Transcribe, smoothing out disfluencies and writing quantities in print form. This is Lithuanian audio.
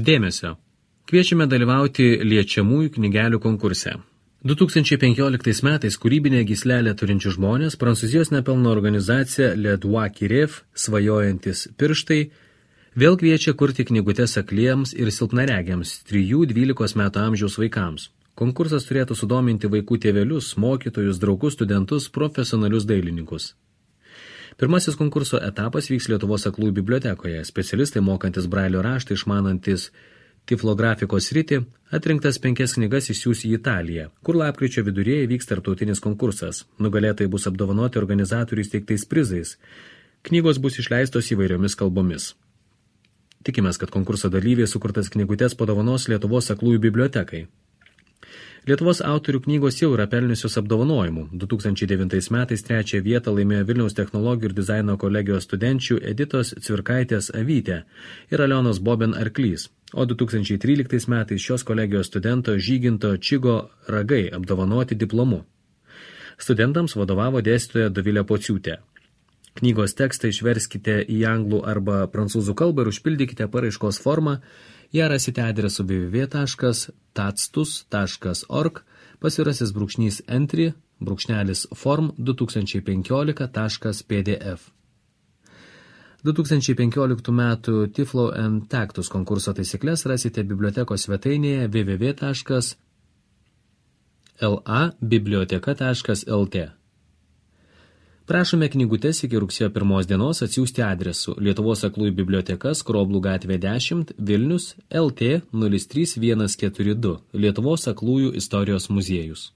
Dėmesio. Kviečiame dalyvauti liečiamųjų knygelių konkurse. 2015 metais kūrybinę gyslelę turinčių žmonės Prancūzijos nepelno organizacija Le Doigt qui rêve, svajojantis pirštai, vėl kviečia kurti knygutes akliems ir silpnaregiams 3-12 metų amžiaus vaikams. Konkursas turėtų sudominti vaikų tėvelius, mokytojus, draugus, studentus, profesionalius dailininkus. Pirmasis konkurso etapas vyks Lietuvos aklųjų bibliotekoje. Specialistai mokantis brailio raštą, išmanantis tiflografikos sritį, atrinktas 5 knygas išsiųs į Italiją, kur lapkričio viduryje vyks tarptautinis konkursas. Nugalėtojai bus apdovanoti organizatorių įsteigtais prizais. Knygos bus išleistos įvairiomis kalbomis. Tikimės, kad konkurso dalyviai sukurtas knygutes padovanos Lietuvos aklųjų bibliotekai. Lietuvos autorių knygos jau yra pelniusios apdovanojimų. 2009 metais 3 vietą laimėjo Vilniaus technologijų ir dizaino kolegijos studenčių Editos Cvirkaitės Avytė ir Alionos Boben Arklys, o 2013 metais šios kolegijos studento Žyginto Čigo Ragai apdovanoti diplomu. Studentams vadovavo dėstytoja Dovilė Pociūtė. Knygos tekstą išverskite į anglų arba prancūzų kalbą ir užpildykite paraiškos formą. Ją rasite adresu www.tatstus.org /entry/form2015.pdf. 2015 metų Tiflo and Tactus konkurso taisyklės rasite bibliotekos svetainėje www.labiblioteka.lt. Prašome knygutes iki rugsėjo 1 dienos atsiųsti adresu Lietuvos aklųjų biblioteka, Skroblų gatvė 10, Vilnius, LT 03142, Lietuvos aklųjų istorijos muziejus.